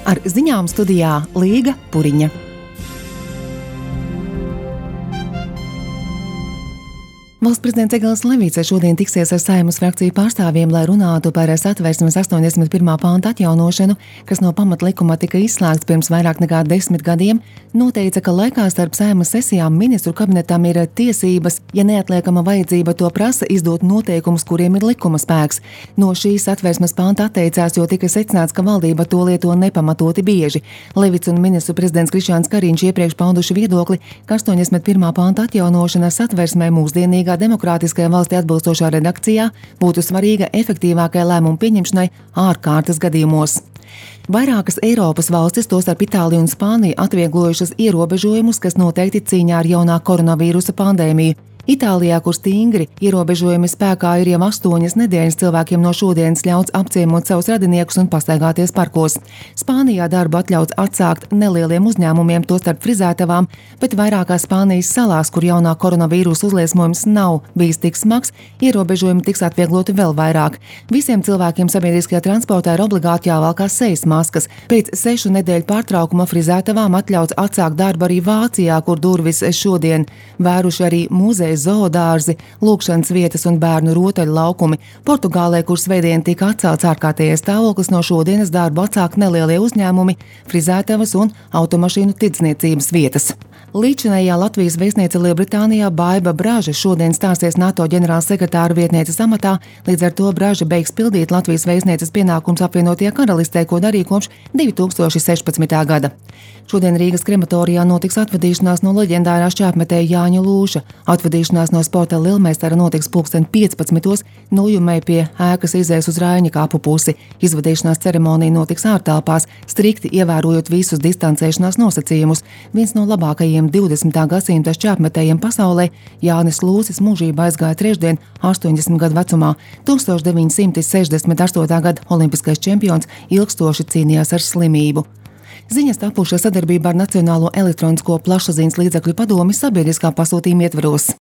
Ar ziņām studijā Līga Puriņa. Valsts prezidents Egils Levits šodien tiksies ar Saeimas frakciju pārstāvjiem, lai runātu par Satversmes 81. panta atjaunošanu, kas no pamatlikuma tika izslēgts pirms vairāk nekā 10 gadiem, noteica, ka laikā starp Saeimas sesijām ministru kabinetam ir tiesības, ja neatliekama vajadzība to prasa, izdot noteikumus, kuriem ir likuma spēks. No šīs Satversmes panta atteicās, jo tika secināts, ka valdība to lieto nepamatoti bieži. Levits un ministru prezidents Krišjāns Kariņš iepriekš pauduši viedokli, ka 81. panta atjaunošana Satversmē mūsdienīgā demokrātiskajai valstī atbilstošā redakcijā būtu svarīga efektīvākai lēmumu pieņemšanai ārkārtas gadījumos. Vairākas Eiropas valstis, tostarp Itālija un Spānija, atvieglojušas ierobežojumus, kas noteikti cīņā ar jaunā koronavīrusa pandēmiju. Itālijā, kur stingri ierobežojumi spēkā ir jau 8 nedēļas, cilvēkiem no šodienas ļauts apciemot savus radiniekus un pastaigāties parkos. Spānijā darbu atļauts atsākt nelieliem uzņēmumiem, tostarp frizētavām, bet vairākās Spānijas salās, kur jaunā koronavīrusa uzliesmojums nav bijis tik smags, ierobežojumi tiks atviegloti vēl vairāk. Visiem cilvēkiem sabiedriskajā transportā ir obligāti jāvalkās sejas maskas. Pēc 6 nedēļu pārtraukuma frizētavām atļauts atsākt darbu arī Vācijā, kur durvis šodien vēruši arī muzeji, zoodārzi, lūkšanas vietas un bērnu rotaļu laukumi. Portugālē, kur svētdien tika atcelts ārkārtējais stāvoklis, no šodienas darbu atsāk nelielie uzņēmumi, frizētavas un automašīnu tirdzniecības vietas. Līdzinējā Latvijas vēstniece Lielbritānijā Baiba Braža šodien stāsies NATO ģenerālsekretāra vietnieces amatā, līdz ar to Braža beigs pildīt Latvijas vēstnieces pienākums apvienotajā karalistē, ko darīja kopš 2016. gada. Šodien Rīgas krematorijā notiks atvadīšanās no leģendārā šķēpmetēja Jāņa Lūša. Atvadīšanās no sporta Lielmeistara notiks 15:15 Nojumē pie ēkas izējas uz Raiņa kāpu pusi. Izvadīšanās ceremonija notiks ārtelpās, strikti ievērojot visus distancēšanās nosacījumus. Viens no labākajiem 20. gadsimta šķēpmetējiem pasaulē, Jānis Lūsis, mūžībā aizgāja trešdien 80 gadu vecumā. 1968. gada olimpiskais čempions ilgstoši cīnījās ar slimību. Ziņas tapušas sadarbībā ar Nacionālo elektronisko plašsaziņas līdzekļu padomi sabiedriskā pasūtījuma ietvaros.